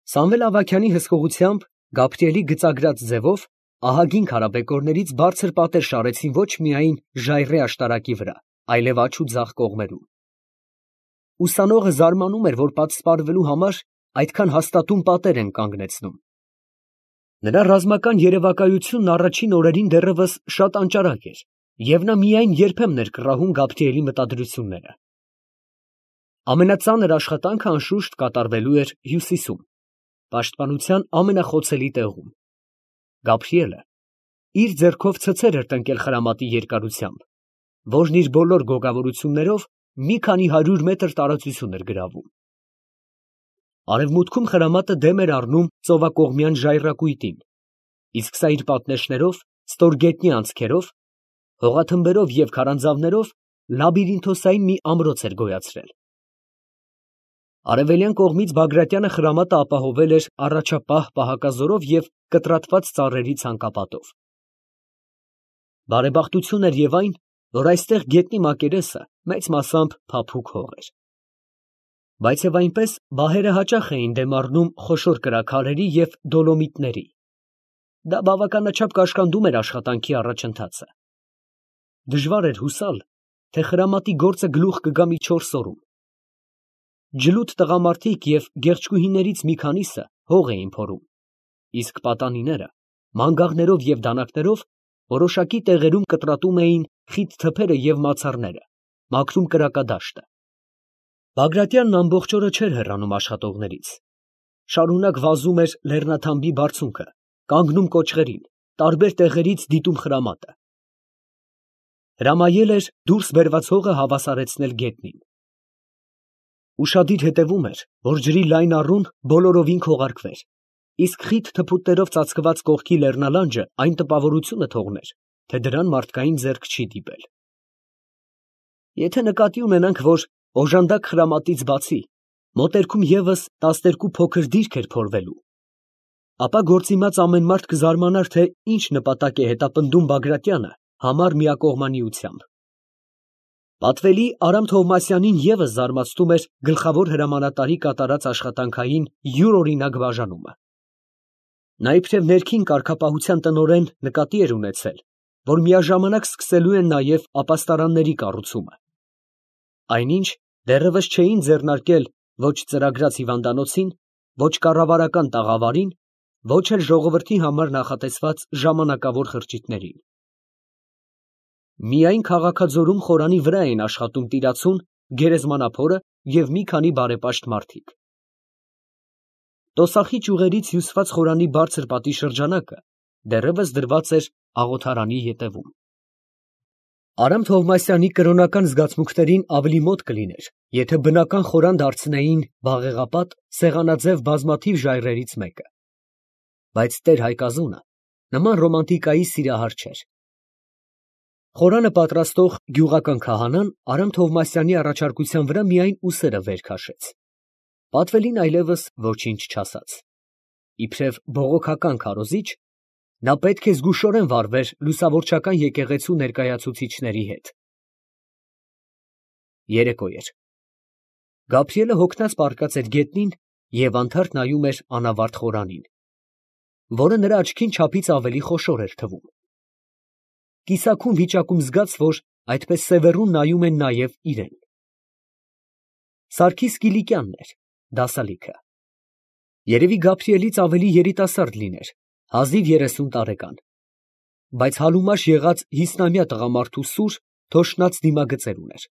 Սամվել Ավագյանի հսկողությամբ Գաբրիելի գծագրած ձևով ահագին քարաբեկորներից բարձր պատեր շարեցին ոչ միայն ժայռի աշտարակի վրա, այլև աջ ու ձախ կողմերում։ Ուսանողը զարմանում էր, որ պատսպարվելու համար այդքան հաստատուն պատեր են կանգնեցնում։ Նրա ռազմական երևակայությունն առաջին օրերին դեռևս շատ անճարակ էր, և նա միայն երբեմն էր կռահում Գաբրիելի մտադրությունները։ Ամենածանր աշխատանքը անշուշտ կատարվելու էր հյուսիսում, պաշտպանության ամենախոցելի տեղում։ Գաբրիելը իր ձեռքով ցցեր էր տնկել խրամատի երկարությամբ, որն իր բոլոր գոգավորություններով մի քանի 100 մետր տարածություն էր գրավում։ Արևմուտքում խրամատը դեմ էր առնում ծովակողմյան ժայռակույտին, իսկ սա իր պատնեշներով, ստորգետնյա անցքերով, հողաթմբերով և քարանձավներով լաբիրինթոսային մի ամրոց էր գոյացրել։ Արևելյան կողմից Բագրատյանը խրամատը ապահովել էր առաջապահ պահակազորով և կտրատված ծառերի ցանկապատով։ Բարեբախտություն էր և այն, որ այստեղ գետնի մակերեսը մեծ մասամբ փափուկ հող էր։ Բայց և այնպես բահերը հաճախ էին դեմ առնում խոշոր կրաքարերի և դոլոմիտների։ Դա բավականաչափ կաշկանդում էր աշխատանքի առաջընթացը։ Դժվար էր հուսալ, թե խրամատի գործը գլուխ կգա մի 4 օրում։ Ջլութ տղամարդիկ և գեղչկուհիներից մի քանիսը հող էին փորում, իսկ պատանիները մանգաղներով և դանակներով որոշակի տեղերում կտրատում էին խիտ թփերը և մացառները, մաքրում կրակադաշտը։ Բագրատյանն ամբողջ օրը չէր հեռանում աշխատողներից. շարունակ վազում էր լեռնաթամբի բարձունքը, կանգնում կոճղերին, տարբեր տեղերից դիտում խրամատը։ Հրամայել էր դուրս բերված հողը հավասարեցնել գետնին։ Ուշադիր հետևում էր, որ ջրի լայն առուն բոլորովին քողարկվեր, իսկ խիտ թփուտներով ծածկված կողքի լեռնալանջը այն տպավորությունը թողներ, թե դրան մարդկային ձեռք չի դիպել։ Եթե նկատի ունենանք, որ օժանդակ խրամատից բացի մոտերքում ևս 12 փոքր դիրք էր փորվելու, ապա գործիմաց ամեն մարդ կզարմանար, թե ինչ նպատակ է հետապնդում Բագրատյանը համառ միակողմանիությամբ։ Պատվելի Արամ Թովմասյանին ևս զարմացնում էր գլխավոր հրամանատարի կատարած աշխատանքային յուրօրինակ բաժանումը։ Նա իբրև ներքին կարգապահության տնօրեն նկատի էր ունեցել, որ միաժամանակ սկսելու են նաև ապաստարանների կառուցումը։ Այնինչ դեռևս չէին ձեռնարկել ոչ ծրագրած հիվանդանոցին, ոչ կառավարական տաղավարին, ոչ էլ ժողովրդի համար նախատեսված ժամանակավոր խրճիթներին։ Միայն Քաղաքաձորում խորանի վրա էին աշխատում Տիրացուն, Գերեզմանափորը և մի քանի բարեպաշտ մարդիկ։ Տոսախի ճյուղերից հյուսված խորանի բարձր պատի շրջանակը դեռևս դրված էր աղոթարանի ետևում։ Արամ Թովմասյանի կրոնական զգացմունքներին ավելի մոտ կլիներ, եթե բնական խորան դարձնեին բաղեղապատ, սեղանաձև բազմաթիվ ժայռերից մեկը։ Բայց Տեր Հայկազունը նման ռոմանտիկայի սիրահար չէր։ Խորանը պատրաստող գյուղական քահանան Արամ Թովմասյանի առաջարկության վրա միայն ուսերը վեր քաշեց։ Պատվելին այլևս ոչինչ չասաց։ Իբրև բողոքական քարոզիչ, նա պետք է զգուշորեն վարվեր լուսավորչական եկեղեցու ներկայացուցիչների հետ։ Երեկո էր։ Գաբրիելը հոգնած պառկած էր գետնին և անթարթ նայում էր անավարտ խորանին, որը նրա աչքին չափից ավելի խոշոր էր թվում։ Կիսաքուն վիճակում զգաց, որ այդպես սևեռուն նայում են նաև իրան։ Սարգիս Կիլիկյանն էր, դասալիքը։ Երևի Գաբրիելից ավելի երիտասարդ լիներ, հազիվ 30 տարեկան, բայց հալումաշ եղած 50-ամյա տղամարդու սուր, թոշնած դիմագծեր ուներ։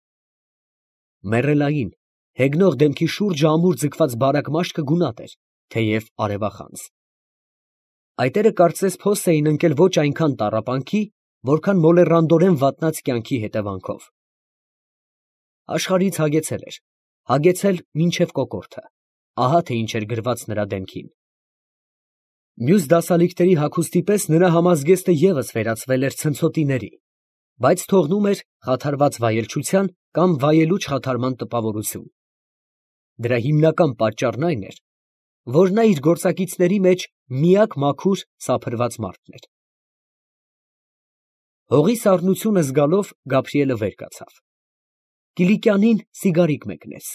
Մեռելային, հեգնող դեմքի շուրջը ամուր ձգված բարակ մաշկը գունատ էր, թեև արևախանձ։ Այտերը կարծես փոս էին ընկել ոչ այնքան տառապանքի, որքան մոլեռանդորեն վատնած կյանքի հետևանքով։ Աշխարհից հագեցել էր, հագեցել մինչև կոկորդը, ահա թե ինչ էր գրված նրա դեմքին։ Մյուս դասալիկների հագուստի պես նրա համազգեստը ևս վերածվել էր ցնցոտիների, բայց թողնում էր խաթարված վայելչության կամ վայելուչ խաթարման տպավորություն։ Դրա հիմնական պատճառն այն էր, որ նա իր գործակիցների մեջ միակ մաքուր սափրված մարդն էր։ Հողի սառնությունը զգալով Գաբրիելը վեր կացավ։ Կիլիկյանին սիգարիկ մեկնեց։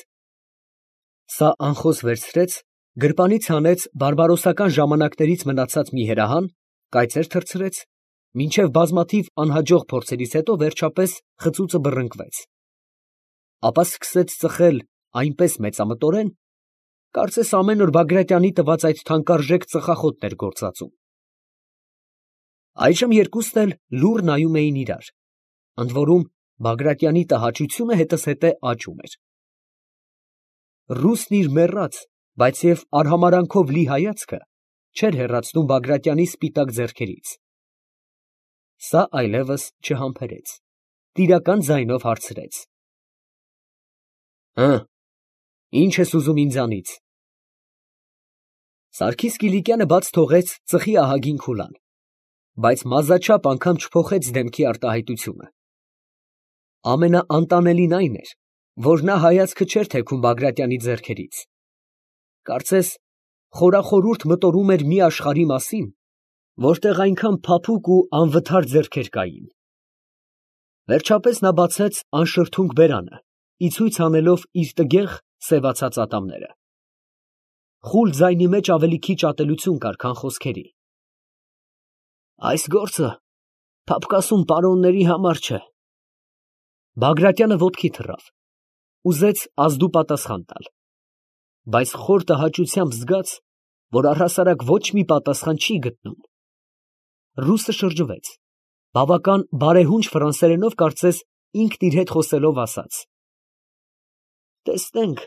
Սա անխոս վերցրեց Գրպանից հանեց բարբարոսական ժամանակներից մնացած մի հրահան, կայծեր թռցրեց, մինչև բազմաթիվ անհաջող փորձերից հետո վերջապես խծուծը բռնկվեց, ապա սկսեց ծխել այնպես մեծամտորեն, կարծես ամեն օր Բագրատյանի տված այդ թանկարժեք ծխախոտն էր գործածում։ Այժմ երկուսն էլ լուռ նայում էին իրար, ընդ որում Բագրատյանի տհաճությունը հետզհետե աճում էր։ Ռուսն իր մեռած, բայց և արհամարանքով լի հայացքը չէր հեռացնում Բագրատյանի սպիտակ ձեռքերից։ Սա այլևս չհամբերեց, տիրական ձայնով հարցրեց. «Հը, ի՞նչ ես ուզում ինձանից»։ Սարգիս Կիլիկյանը բաց թողեց ծխի ահագին քուլան, բայց մազաչափ անգամ չփոխեց դեմքի արտահայտությունը։ Ամենաանտանելին այն էր, որ նա հայացքը չէր թեքում Բագրատյանի ձեռքերից, կարծես խորախորուրդ մտորում էր մի աշխարհի մասին, որտեղ այնքան փափուկ ու անվթար ձեռքեր կային։ Վերջապես նա բացեց անշրթունք բերանը, ի ցույց անելով իր տգեղ սևացած ատամները։ Խուլ ձայնի մեջ ավելի քիչ ատելություն կար, քան խոսքերի։ Այս գործը փափկասուն պարոնների համար չէ։ Բագրատյանը ոտքի թռավ, ուզեց ազդու պատասխան տալ, բայց խոր տհաճությամբ զգաց, որ առհասարակ ոչ մի պատասխան չի գտնում։ Ռուսը շրջվեց, բավական բարեհունչ ֆրանսերենով կարծես ինքն իր հետ խոսելով ասաց. «Տեսնենք,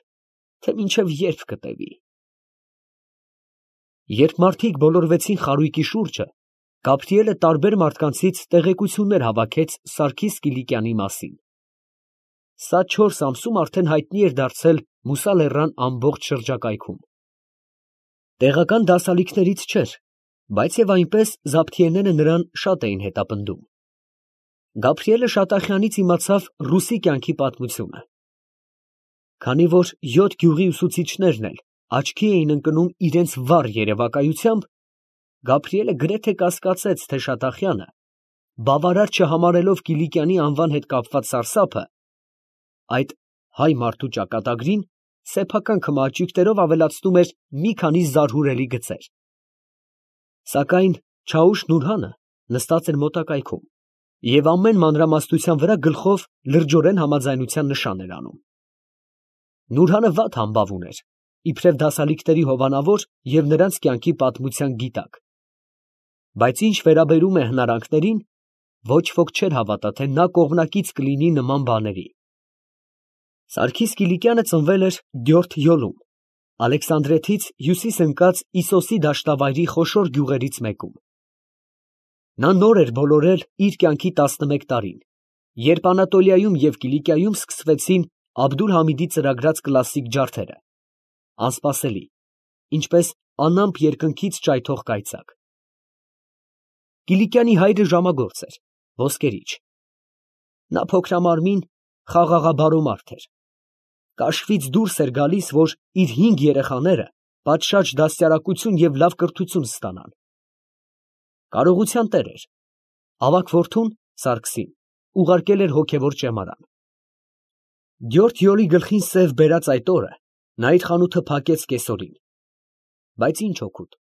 թե մինչև երբ կտևի»։ Երբ մարդիկ բոլորվեցին խարույկի շուրջը, Գաբրիելը տարբեր մարդկանցից տեղեկություններ հավաքեց Սարգիս Կիլիկյանի մասին։ Սա 4 ամսում արդեն հայտնի էր դարձել Մուսա լեռան ամբողջ շրջակայքում։ Տեղական դասալիքներից չէր, բայց և այնպես Զաբթիեները նրան շատ էին հետապնդում։ Գաբրիելը Շատախյանից իմացավ ռուսի կյանքի պատմությունը։ Քանի որ 7 գյուղի ուսուցիչներն էլ աչքի էին ընկնում իրենց վառ երևակայությամբ, Գաբրիելը գրեթե կասկածեց, թե Շատախյանը, բավարար չհամարելով Կիլիկյանի անվան հետ կապված սարսափը, այդ հայ մարդու ճակատագրին սեփական քմահաճույքներով ավելացնում էր մի քանի զարհուրելի գծեր։ Սակայն Չաուշ Նուրհանը նստած էր մոտակայքում և ամեն մանրամասնության վրա գլխով լրջորեն համաձայնության նշան էր անում։ Նուրհանը վատ համբավ ուներ, իբրև դասալիքների հովանավոր և նրանց կյանքի պատմության գիտակ, բայց ինչ վերաբերում է հնարանքներին, ոչ ոք չէր հավատա, թե նա կողմնակից կլինի նման բաների։ Սարգիս Կիլիկյանը ծնվել էր Գյորթ Յոլում, Ալեքսանդրետից հյուսիս ընկած Իսոսի դաշտավայրի խոշոր գյուղերից մեկում։ Նա նոր էր բոլորել իր կյանքի 11 տարին, երբ Անատոլիայում և Կիլիկիայում սկսվեցին Աբդուլ֊Համիդի ծրագրած կլասիկ ջարդերը, անսպասելի, ինչպես անամպ երկնքից ճայթող կայծակ։ Կիլիկյանի հայրը ժամագործ էր, ոսկերիչ։ Նա փոքրամարմին, խաղաղաբարո մարդ էր։ Կաշվից դուրս էր գալիս, որ իր 5 երեխաները պատշաճ դաստիարակություն և լավ կրթություն ստանան։ Կարողության տեր էր, ավագ որդուն՝ Սարգսին, ուղարկել էր հոգևոր ճեմարան։ Գյորթ Յոլի գլխին սև բերած այդ օրը նա իր խանութը փակեց կեսօրին, բայց ինչ օգուտ։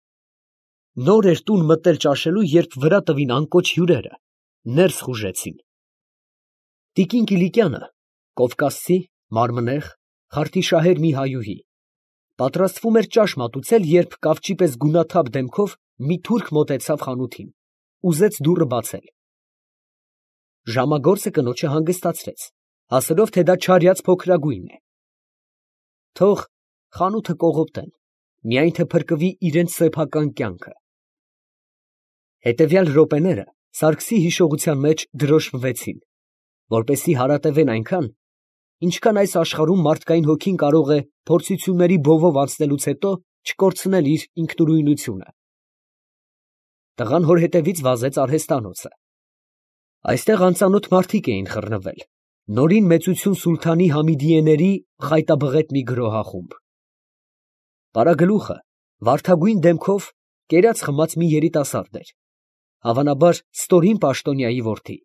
Նոր էր տուն մտել ճաշելու, երբ վրա տվին անկոչ հյուրերը, ներս խուժեցին։ Տիկին Կիլիկյանը, կովկասցի, մարմնեղ, խարթիշահեր մի հայուհի, պատրաստվում էր ճաշ մատուցել, երբ կավճի պես գունաթափ դեմքով մի թուրք մոտեցավ խանութին, ուզեց դուռը բացել։ Ժամագործը կնոջը հանգստացրեց, ասելով, թե դա չարյաց փոքրագույն է։ Թող խանութը կողոպտեն, միայն թե փրկվի իրենց սեփական կյանքը։ Հետևյալ րոպեները Սարգսի հիշողության մեջ դրոշմվեցին, որպեսզի հարատևեն այնքան, ինչքան այս աշխարհում մարդկային հոգին կարող է փորձությունների բովով անցնելուց հետո չկորցնել իր ինքնուրույնությունը։ Տղան հոր հետևից վազեց արհեստանոցը։ Այստեղ անծանոթ մարդիկ էին խռնվել, նորին մեծություն սուլթանի Համիդիեների խայտաբղետ մի գրոհախումբ։ Պարագլուխը վարդագույն դեմքով կերած խմած մի երիտասարդ էր, հավանաբար ստորին պաշտոնյայի որդի։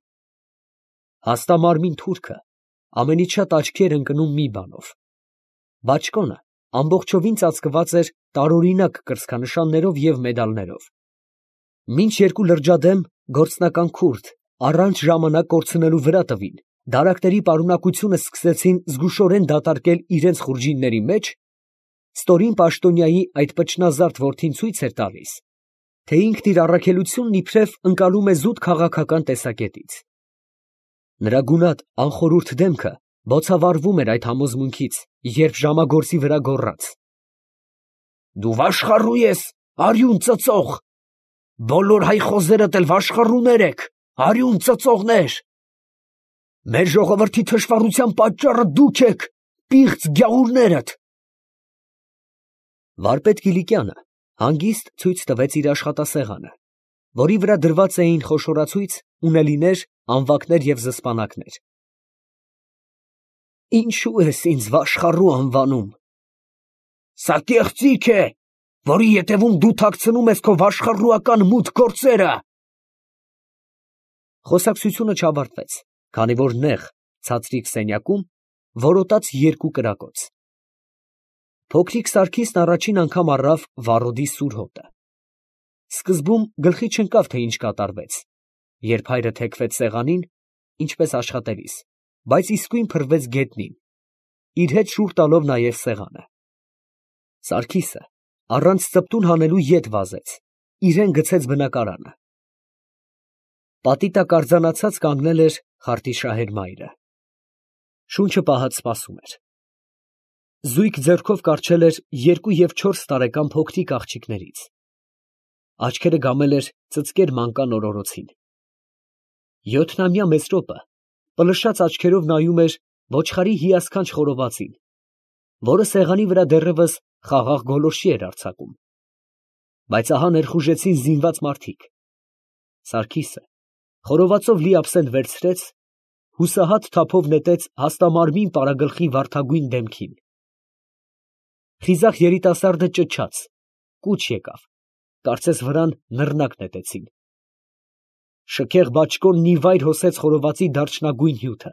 Հաստամարմին թուրքը ամենից շատ աչքի էր ընկնում մի բանով. բաճկոնը, ամբողջովին ծածկված էր տարօրինակ կրծքանշաններով և մեդալներով։ Մինչ երկու լրջադեմ գործնական քուրդ առանց ժամանակ կորցնելու վրա տվին, դարակների պարունակությունը սկսեցին զգուշորեն դատարկել իրենց խուրջինների մեջ, ստորին պաշտոնյայի այդ պճնազարդ որդին ցույց էր տալիս, թե ինքն իր առաքելությունն իբրև ընկալում է զուտ քաղաքական տեսակետից։ Նրա գունատ անխորուրդ դեմքը բոցավառվում էր այդ համոզմունքից, երբ ժամագործի վրա գոռաց. «Դու վաշխառու ես, արյուն ծծող, բոլոր հայ խոզերդ էլ վաշխառուներ եք, արյուն ծծողներ, մեր ժողովրդի թշվառության պատճառը դուք եք, պիղծ գյաղուրներդ»։ Վարպետ Կիլիկյանը հանգիստ ցույց տվեց իր աշխատասեղանը, որի վրա դրված էին խոշորացույց, ունելիներ, անվակներ և զսպանակներ։ «Ինչո՞ւ ես ինձ վաշխառու անվանում։ Սա կեղծիք է, որի ետևում դու թաքցնում ես քո վաշխառուական մութ գործերը»։ Խոսակցությունը չավարտվեց, քանի որ նեղ, ցածրիկ սենյակում որոտաց երկու կրակոց։ Փոքրիկ Սարգիսն առաջին անգամ առավ վառոդի սուր հոտը։ Սկզբում գլխի չընկավ, թե ինչ կատարվեց, երբ հայրը թեքվեց սեղանին, ինչպես աշխատելիս, բայց իսկույն փռվեց գետնին, իր հետ շուռ տալով նաև սեղանը։ Սարգիսը առանց ծպտուն հանելու ետ վազեց, իրան գցեց բնակարանը։ Պատի տակ արձանացած կանգնել էր խարտիշահեր մայրը։ Շունչը պահած սպասում էր։ Զույգ ձեռքով կառչել էր 2 և 4 տարեկան փոքրիկ աղջիկներից։ Աչքերը գամել էր ծծկեր մանկան օրորոցին։ 7-ամյա Մեսրոպը պլշած աչքերով նայում էր ոչխարի հիասքանչ խորովածին, որը սեղանի վրա դեռևս խաղաղ գոլորշի էր արձակում։ Բայց ահա ներխուժեցին զինված մարդիկ։ Սարգիսը խորովածով լի աբսենտ վերցրեց, հուսահատ թափով նետեց հաստամարմին պարագլխի վարդագույն դեմքին։ Խիզախ երիտասարդը ճչաց, կուչ եկավ, կարծես վրան նռնակ նետեցին։ Շքեղ բաճկոնն ի վայր հոսեց խորովածի դարչնագույն հյութը։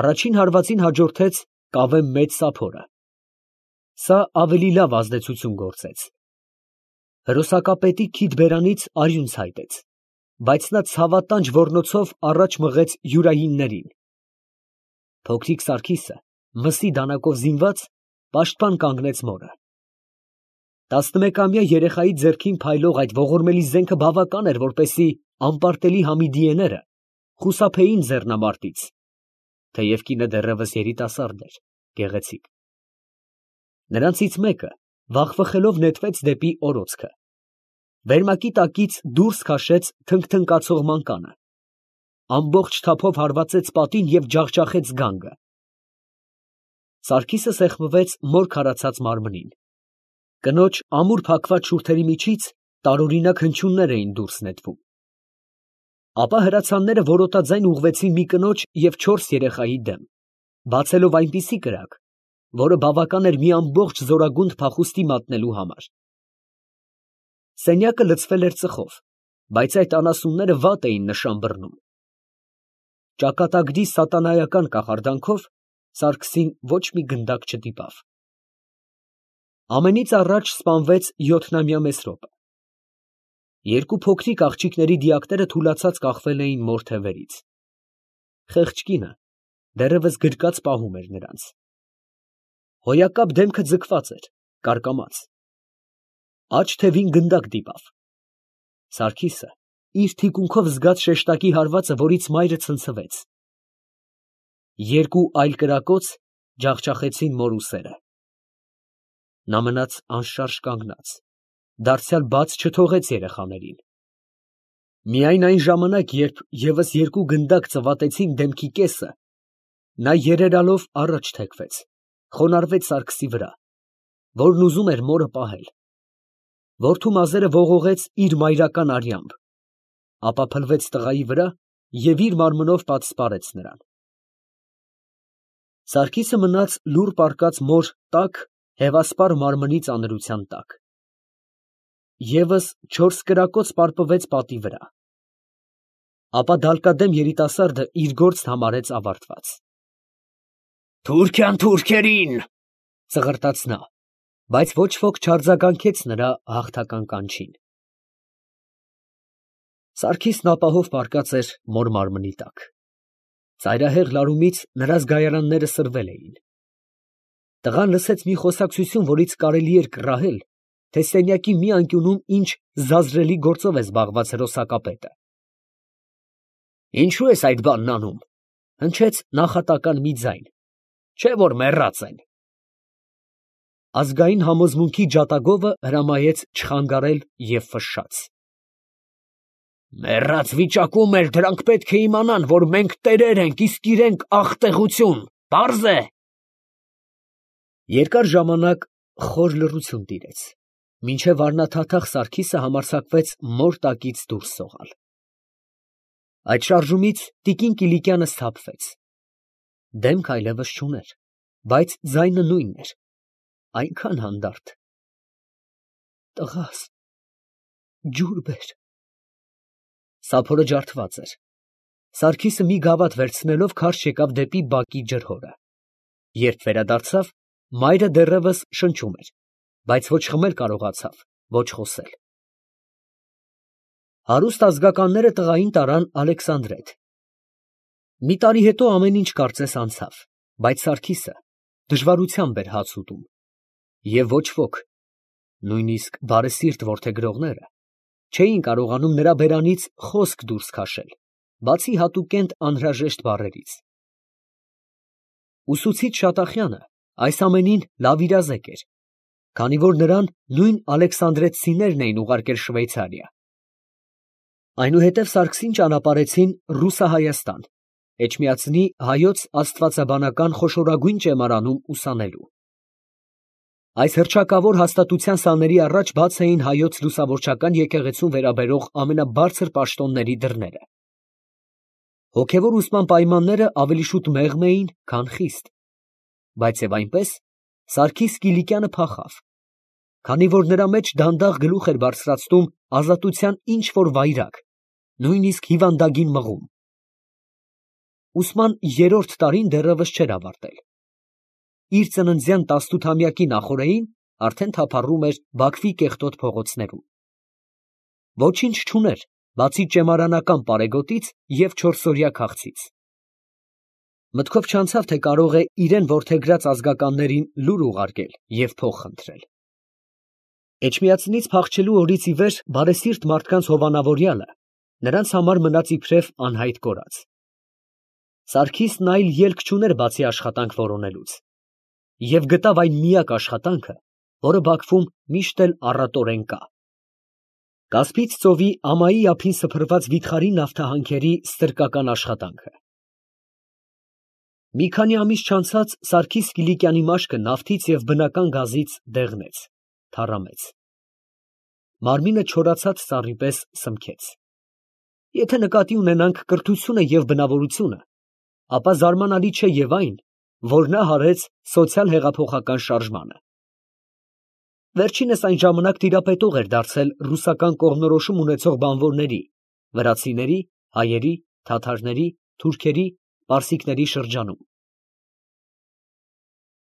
Առաջին հարվածին հաջորդեց կավե մեծ սափորը։ Սա ավելի լավ ազդեցություն գործեց։ Հրոսակապետի քիթ բերանից արյուն ցայտեց, բայց նա ցավատանջ ոռնոցով առաջ մղեց յուրայիններին։ Փոքրիկ Սարգիսը, մսի դանակով զինված, պաշտպան կանգնեց մորը։ 11-ամյա երեխայի ձեռքին փայլող այդ ողորմելի զենքը բավական էր, որպեսզի անպարտելի Համիդիեները խուսափեին ձեռնամարտից, թեև կինը դեռևս երիտասարդ էր, գեղեցիկ։ Նրանցից մեկը վախվխելով նետվեց դեպի օրոցքը։ Վերմակի տակից դուրս քաշեց թնգթնկացող մանկանը, ամբողջ թափով հարվածեց պատին և ջախջախեց գանգը։ Սարգիսը սեղմվեց մոր քարացած մարմնին։ Կնոջ ամուր փակված շուրթերի միջից տարօրինակ հնչյուններ էին դուրս նետվում։ Ապա հրացանները որոտաձայն ուղղվեցին մի կնոջ և 4 երեխայի դեմ, բացելով այնպիսի կրակ, որը բավական էր մի ամբողջ զորագունդ փախուստի մատնելու համար։ Սենյակը լցվել էր ծխով, բայց այդ անասունները վատ էին նշան բռնում։ Ճակատագրի սատանայական կախարդանքով Սարգսին ոչ մի գնդակ չտիպավ։ Ամենից առաջ սպանվեց 7-ամյա Մեսրոպը։ Երկու փոքրիկ աղջիկների դիակները թուլացած կախվել էին մոր թևերից։ Խեղճ կինը դեռևս գրկած պահում էր նրանց։ Հոյակապ դեմքը ձգված էր, կարկամած։ Աջ թևին գնդակ դիպավ։ Սարգիսը իր թիկունքով զգաց շեշտակի հարվածը, որից մայրը ցնցվեց։ Երկու այլ կրակոց ջախջախեցին մոր ուսերը։ Նա մնաց անշարժ կանգնած, դարձյալ բաց չթողեց երեխաներին։ Միայն այն ժամանակ, երբ ևս երկու գնդակ ծվատեցին դեմքի կեսը, նա երերալով առաջ թեքվեց, խոնարհվեց Սարգսի վրա, որն ուզում էր մորը պահել։ Որդու մազերը ողողեց իր մայրական արյամբ, ապա փլվեց տղայի վրա և իր մարմնով պատսպարեց նրան։ Սարգիսը մնաց լուռ պառկած մոր տաք, հևասպառ մարմնի ծանրության տակ։ Եվս 4 կրակոց պարպվեց պատի վրա։ Ապա դալկադեմ երիտասարդը իր գործն համարեց ավարտված։ «Թուրքյան թուրքերին, Ծղրտաց նա, բայց ոչ ոք չարձագանքեց նրա հաղթական կանչին։ Սարգիսն ապահով պառկած էր մոր մարմնի տակ։ Ծայրահեղ լարումից նրա զգայարանները սրվել էին։ Տղան լսեց մի խոսակցություն, որից կարելի էր կռահել, թե սենյակի մի անկյունում ինչ զազրելի գործով է զբաղված հրոսակապետը։ «Ինչո՞ւ ես այդ բանն անում», հնչեց նախատական մի ձայն, «չէ՞ որ մեռած են»։ Ազգային համոզմունքի ջատագովը հրամայեց չխանգարել և ֆշշաց։ «Մեռած վիճակում էլ դրանք պետք է իմանան, որ մենք տերեր ենք, իսկ իրենք աղտեղություն, պարզ է»։ Երկար ժամանակ խոր լռություն տիրեց, մինչև առնաթաթախ Սարգիսը համարձակվեց մոր տակից դուրս սողալ։ Այդ շարժումից տիկին Կիլիկյանը սթափվեց։ Դեմք այլևս չուներ, բայց ձայնը նույնն էր, այնքան հանդարտ։ «Տղաս, ջուր բեր»։ Սափորը ջարդված էր։ Սարգիսը մի գավաթ վերցնելով քարշ եկավ դեպի բակի ջրհորը։ Երբ վերադարձավ, մայրը դեռևս շնչում էր, բայց ոչ խմել կարողացավ, ոչ խոսել։ Հարուստ ազգականները տղային տարան Ալեքսանդրետ։ Մի տարի հետո ամեն ինչ կարծես անցավ, բայց Սարգիսը դժվարությամբ էր հաց ուտում, և ոչ ոք, նույնիսկ բարեսիրտ որդեգրողները, չէին կարողանում նրա բերանից խոսք դուրս քաշել, բացի հատուկենտ անհրաժեշտ բառերից։ Ուսուցիչ Շատախյանը այս ամենին լավ իրազեկ էր, քանի որ նրան նույն ալեքսանդրեցիներն էին ուղարկել Շվեյցարիա։ Այնուհետև Սարգսին ճանապարհեցին Ռուսահայաստան, Էջմիածնի հայոց աստվածաբանական խոշորագույն ճեմարանում ուսանելու։ Այս հռչակավոր հաստատության սաների առաջ բաց էին հայոց լուսավորչական եկեղեցուն վերաբերող ամենաբարձր պաշտոնների դռները։ Հոգևոր ուսման պայմանները ավելի շուտ մեղմ էին, քան խիստ, բայց և այնպես Սարգիս Կիլիկյանը փախավ, քանի որ նրա մեջ դանդաղ գլուխ էր բարձրացնում ազատության ինչ֊որ վայրագ, նույնիսկ հիվանդագին մղում։ Ուսման երրորդ տարին դեռևս չէր ավարտել։ Իր ծննդյան 18-ամյակի նախօրեին արդեն թափառում էր Բաքվի կեղտոտ փողոցներում։ Ոչինչ չուներ, բացի ճեմարանական պարեգոտից և չորսօրյա քաղցից։ Մտքով չանցավ, թե կարող է իրեն որդեգրած ազգականներին լուր ուղարկել և փող խնդրել։ Էջմիածնից փախչելու օրից ի վեր բարեսիրտ մարդկանց հովանավորյալը նրանց համար մնաց իբրև անհայտ կորած։ Սարգիսն այլ ելք չուներ բացի աշխատանք որոնելուց, և գտավ այն միակ աշխատանքը, որը Բաքվում միշտ էլ առատորեն կա։ Կասպից ծովի ամայի ափին սփռված վիթխարի նավթահանքերի ստրկական աշխատանքը։ Մի քանի ամիս չանցած Սարգիս Կիլիկյանի մաշկը նավթից և բնական գազից դեղնեց, թառամեց։ Մարմինը չորացած ծառի պես սմքեց։ Եթե նկատի ունենանք կրթությունը և բնավորությունը, ապա զարմանալի չէ և այն, որ նա հարեց սոցիալ֊հեղափոխական շարժմանը։ Վերջինս այն ժամանակ տիրապետող էր դարձել ռուսական կողմնորոշում ունեցող բանվորների, վրացիների, հայերի, թաթարների, թուրքերի, պարսիկների շրջանում։